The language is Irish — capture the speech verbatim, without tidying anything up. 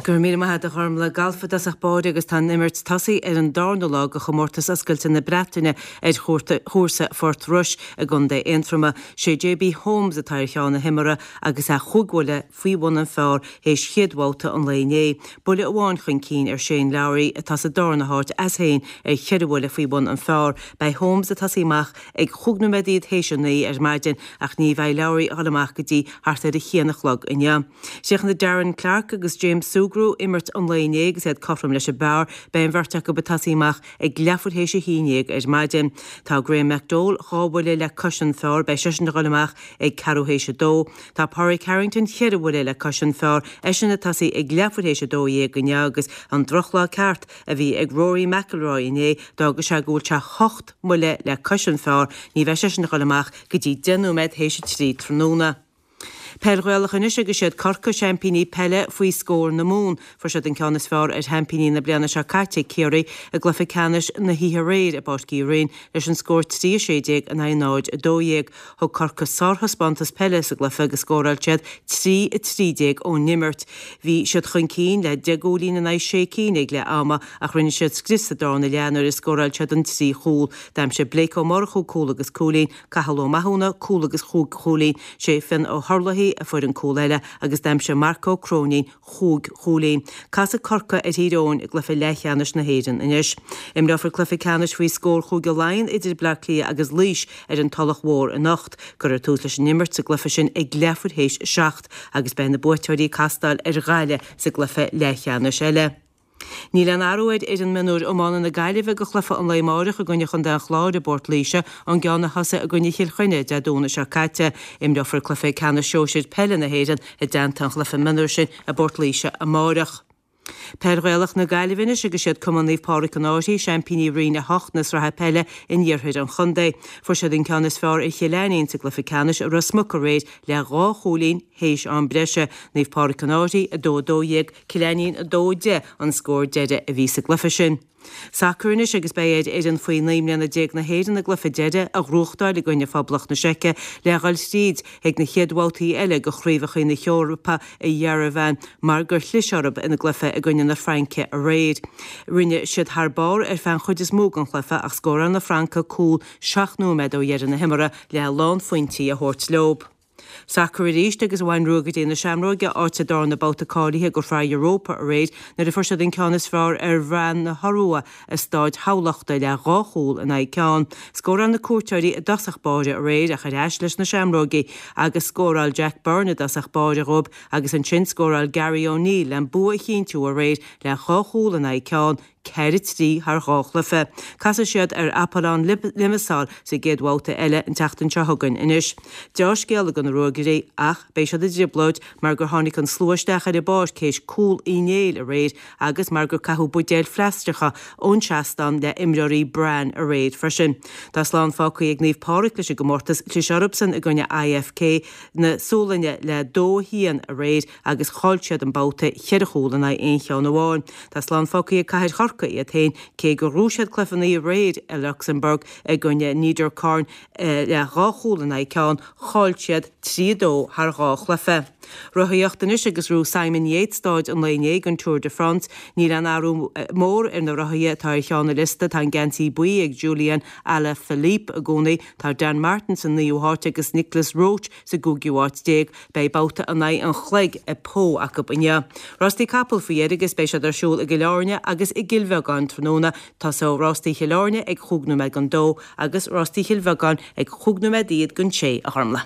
Go raibh míle maith agat a Ghormlaith. Galf i dtosach báire agus tá an imirt tosaithe ar an darna lá de chomórtas oscailte na Breataine ar chúrsa Phort Rois i gContae Aontroma. Sé JB Holmes atá ar cheann na himeartha agus é chúig bhuille faoi bhun an phar théis chéad bhabhta an lae inné. Buille amháin chun cinn ar Shane Lowry atá sa darna háit as féin ar cheithre bhuille faoi bhun an phar. Beidh Holmes ag tosaí amach ag chúig nóiméad théis a naoi ar maidin ach ní bheidh Lowry ag dul amach go dtí thart ar a haon a chlog inniu. Chríochnaigh Darren Clarke agus James Sugrue imirt an lae inné agus iad cothrom leis an bpar, beidh an bheirt acu ag tosaí amach ag leathuair théis a haon déag ar maidin. Tá Graham McDowell dhá bhuille le cois an phar, beidh seisean ag dul amach ag ceathrú théis a dó. Tá Pádraig Harrington ceithre bhuille le cois an phar, eisean ag tosaí ag leathuair théis a dó dhéag inniu agus an drochlá ceart a bhí ag Rory McIlroy inné d'fhág sé go bhfuil sé hocht mbuille le cois an phar, ní bheidh seisean ag dul amach go dtí deich nóiméad théis a trí tráthnóna. Peil Ghaelach anois agus siad Corcaigh seaimpíní peile faoi scór na Mumhan. Fuair siad an ceann is fearr ar sheaimpíní na bliana seo caite, Ciarraí, i gcluiche ceannais na hoíche aréir i bPáirc Uí Rinn leis an scór trí a sé déag in aghaidh náid a dó dhéag. Thug Corcaigh sárthaispeántas peile sa gcluiche agus scóráil siad trí a trí déag ón imirt. Bhí siad chun cinn le deich gcúilín in aghaidh sé cinn ag leath ama ach rinne siad scrios sa darna leath nuair a scóráil siad an trí chúl. D'aimsigh Blake Ó Murchú cúl agus cúilín, Cathal Ó Mathúna cúl agus chúig chúilín, sé Fionn Ó hUrlaithí a fuair an cúl eile agus d'aimsigh Marc Ó Cróinín chúig chúilín. Casfaidh Corcaigh ar Thír Eoghain i gcluiche leathcheannais na hÉireann anois. Imreofar cluiche ceannais faoi scór Chúige Laighean idir Bleá Cliath agus Laois ar an Tulach Mhór anocht. Cuirfear tús leis an imirt sa gcluiche sin ag leathuair théis a seacht agus beidh na buaiteoirí ag castáil ar Ghaillimh sa gcluiche leathcheannais eile. Níl aon athrú ar fhoireann mionúir iomána na Gaillimhe do chluiche an lae amáireach i gcoinne Chontae an Chláir i bPort Laoise, an gceann a thosaigh i gcoinne Chill Chainnigh Dé Domhnaigh seo caite. Imreofar cluiche ceannais sóisir peile na hÉireann i dteannta an chluiche mionúir sin i bPort Laoise amáireach. Peil Ghaelach na Gaillimhe anois agus siad Cumann Naomh Pádraig an Fhairche, seaimpíní Roinn a hocht na sraithe peile in iarthar an chontae. Fuair siad an ceann is fearr ar Chill Ainnín sa gcluiche ceannais i Ros Muc aréir le dhá chúilín théis am breise. Naomh Pádraig an Fhairche a dó a dó dhéag, Cill Ainnín a dó a deich an scór deiridh a bhí sa gcluiche sin. Sacar anois agus beidh ar fhoireann faoi naoi mbliana déag na hÉireann a gcluiche deiridh a ghnóthachtáil i gcoinne Phoblacht na Seice le dhul tríd chuig na chéad bhabhtaí eile de chraobhacha na hEorpa i Yerevan mar gur chlis orthu ina gcluiche i gcoinne na Fraince aréir. Rinne siad thar barr ar feadh an chuid is mó den chluiche ach scóráil na Francaigh cúl seacht nóiméad ó dheireadh na himeartha le lánphointí a thabhairt leo. Sacar arís agus bhain Ruagairí na Seamróige áit sa darna babhta cáilithe do Shraith Europa aréir nuair a fuair siad an ceann is fearr ar Bhran na hIorua i Staid Thamhlachta le dhá chúl in aghaidh ceann. Scóráil na cuairteoirí i dtosach báire aréir ach ar ais leis na Seamrógaí agus scóráil Jack Byrne i dtosach báire dhóibh agus ansin scóráil Gary O'Neill le an bua a chinntiú aréir le dhá chúl in aghaidh ceann, ceithre trí thar dhá chluiche. Casfaidh siad ar Apollon Limassol sa gcéad bhabhta eile an tseachtain seo chugainn anois. Deá-scéala do na Ruagairí ach beidh siad i dtrioblóid mar gur tháinig an slua isteach ar an bpáirc théis cúl Uí Néill aréir agus mar gur caitheadh buidéil phlaisteacha ón seastán le imreoirí Bran aréir freisin. Tá slán fágtha ag Naomh Pádraig leis an gcomórtas, chlis orthusan i gcoinne IFK na Sualainne le dó a haon aréir agus chaill siad an babhta cheithre chúl in aghaidh aon cheann amháin. Tá slán fágtha ag Cathair Chorcaí iad féin cé gur ghnóthaigh siad cluiche an oíche aréir i Lucsamburg i gcoinne Niederkorn le dhá chúl in aghaidh ceann, chaill siad trí a dó thar dhá chluiche. Rothaíocht anois agus ghnóthaigh Simon Yates stáid an lae inné den Tour de France. Níl aon athrú mór ar na rothaithe atá ar cheann an liosta, tá an geansaí buí ag Julian Alaphilippe i gcónaí, tá Dan Martin sa naoú háit agus Nicolas Roche sa gcúigiú háit déag. Beidh babhta in aghaidh an chloig i Pau acu inniu. Rástaí capall faoi dheireadh agus beidh siad ar siúl i gCill Airne agus i gCill Bheagáin tráthnóna. Tosóidh rástaí Chill Airne ag chúig nóiméad don dó agus rástaí Chill Bheagáin ag chúig nóiméad iad don sé, a Ghormlaith.